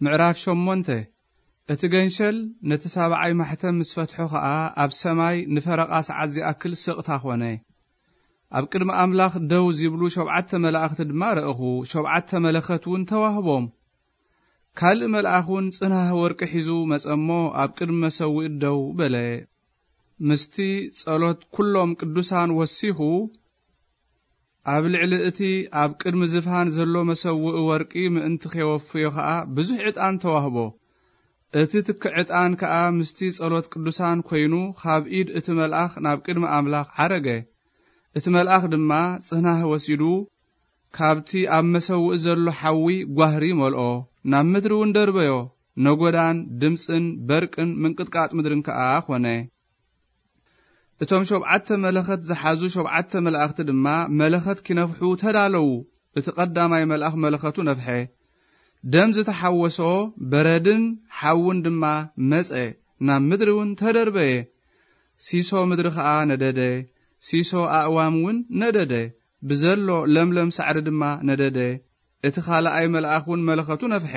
ምዕራፍ ሸሞንተ። እቲ ገንሸል ነቲ ሳብዓይ ማሕተም ምስ ፈትሖ ኸኣ፣ ኣብ ሰማይ ንፈረቓ ሰዓት ዚኣክል ስቕታ ኾነ። ኣብ ቅድሚ ኣምላኽ ደው ዚብሉ ሸውዓተ መላእኽቲ ድማ ረእኹ። ሸውዓተ መለኸት እውን ተዋህቦም። ካልእ መልኣኽ እውን ጽናህ ወርቂ ሒዙ መጸ እሞ፣ ኣብ ቅድሚ መሰውኢ ደው በለ። ምስቲ ጸሎት ኩሎም ቅዱሳን ወሲኹ፣ ኣብ ልዕሊ እቲ ኣብ ቅድሚ ዝፋን ዘሎ መሰውኢ ወርቂ ምእንቲ ኼወፍዮ ኸኣ ብዙሕ ዕጣን ተዋህቦ። እቲ ትኪ ዕጣን ከኣ ምስቲ ጸሎት ቅዱሳን ኰይኑ፣ ኻብ ኢድ እቲ መልኣኽ ናብ ቅድሚ ኣምላኽ ዓረገ። እቲ መልኣኽ ድማ ጽናህ ወሲዱ፣ ካብቲ ኣብ መሰውኢ ዘሎ ሓዊ ጓህሪ መልኦ፣ ናብ ምድሪ እውን ደርበዮ። ነጐዳን ድምጽን በርቅን ምንቅጥቃጥ ምድርን ከኣ ኾነ። እቶም ሸውዓተ መለኸት ዝሓዙ ሸውዓተ መላእኽቲ ድማ መለኸት ኪነፍሑ ተዳለዉ። እቲ ቐዳማይ መልኣኽ መለኸቱ ነፍሐ። ደም ዝተሓወሶ በረድን ሓውን ድማ መጸ፣ ናብ ምድሪ እውን ተደርበየ። ሲሶ ምድሪ ኸኣ ነደደ፣ ሲሶ ኣእዋም እውን ነደደ፣ ብዘሎ ለምለም ሳዕሪ ድማ ነደደ። እቲ ኻልኣይ መልኣኽ እውን መለኸቱ ነፍሐ።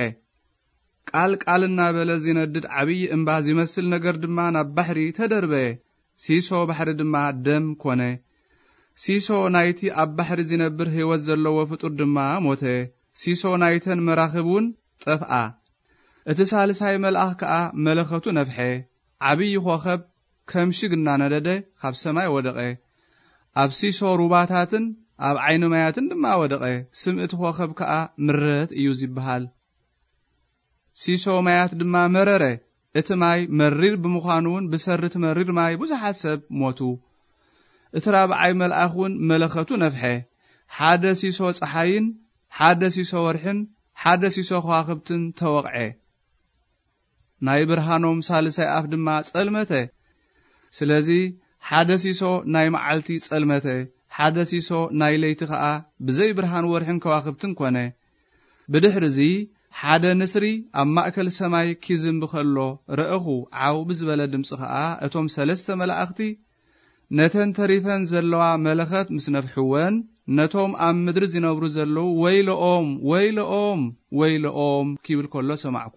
ቃል ቃል እናበለ ዚነድድ ዓብዪ እምባ ዚመስል ነገር ድማ ናብ ባሕሪ ተደርበየ። ሲሶ ባሕሪ ድማ ደም ኮነ። ሲሶ ናይቲ ኣብ ባሕሪ ዚነብር ህይወት ዘለዎ ፍጡር ድማ ሞተ። ሲሶ ናይተን መራኽብ እውን ጠፍኣ። እቲ ሳልሳይ መልኣኽ ከኣ መለኸቱ ነፍሐ። ዓብዪ ኾኸብ ከም ሽግ እናነደደ ካብ ሰማይ ወደቐ። ኣብ ሲሶ ሩባታትን ኣብ ዓይኒ ማያትን ድማ ወደቐ። ስም እቲ ኾኸብ ከኣ ምረት እዩ ዚበሃል። ሲሶ ማያት ድማ መረረ። እቲ ማይ መሪር ብምዃኑ እውን ብሰሪ እቲ መሪር ማይ ብዙሓት ሰብ ሞቱ። እቲ ራብዓይ መልኣኽ እውን መለኸቱ ነፍሐ። ሓደ ሲሶ ጸሓይን ሓደ ሲሶ ወርሕን ሓደ ሲሶ ኸዋኽብትን ተወቕዐ። ናይ ብርሃኖም ሳልሳይ ኣፍ ድማ ጸልመተ። ስለዚ ሓደ ሲሶ ናይ መዓልቲ ጸልመተ፣ ሓደ ሲሶ ናይ ለይቲ ኸኣ ብዘይ ብርሃን ወርሕን ከዋኽብትን ኮነ። ብድሕርዚ ሓደ ንስሪ ኣብ ማእከል ሰማይ ኪዝምቢ ኸሎ ረእኹ፣ ዓው ብዝበለ ድምጺ ኸኣ እቶም ሰለስተ መላእኽቲ ነተን ተሪፈን ዘለዋ መለኸት ምስ ነፍሕወን፣ ነቶም ኣብ ምድሪ ዚነብሩ ዘለዉ "ወይለኦም፣ ወይለኦም፣ ወይለኦም" ኪብል ከሎ ሰማዕኩ።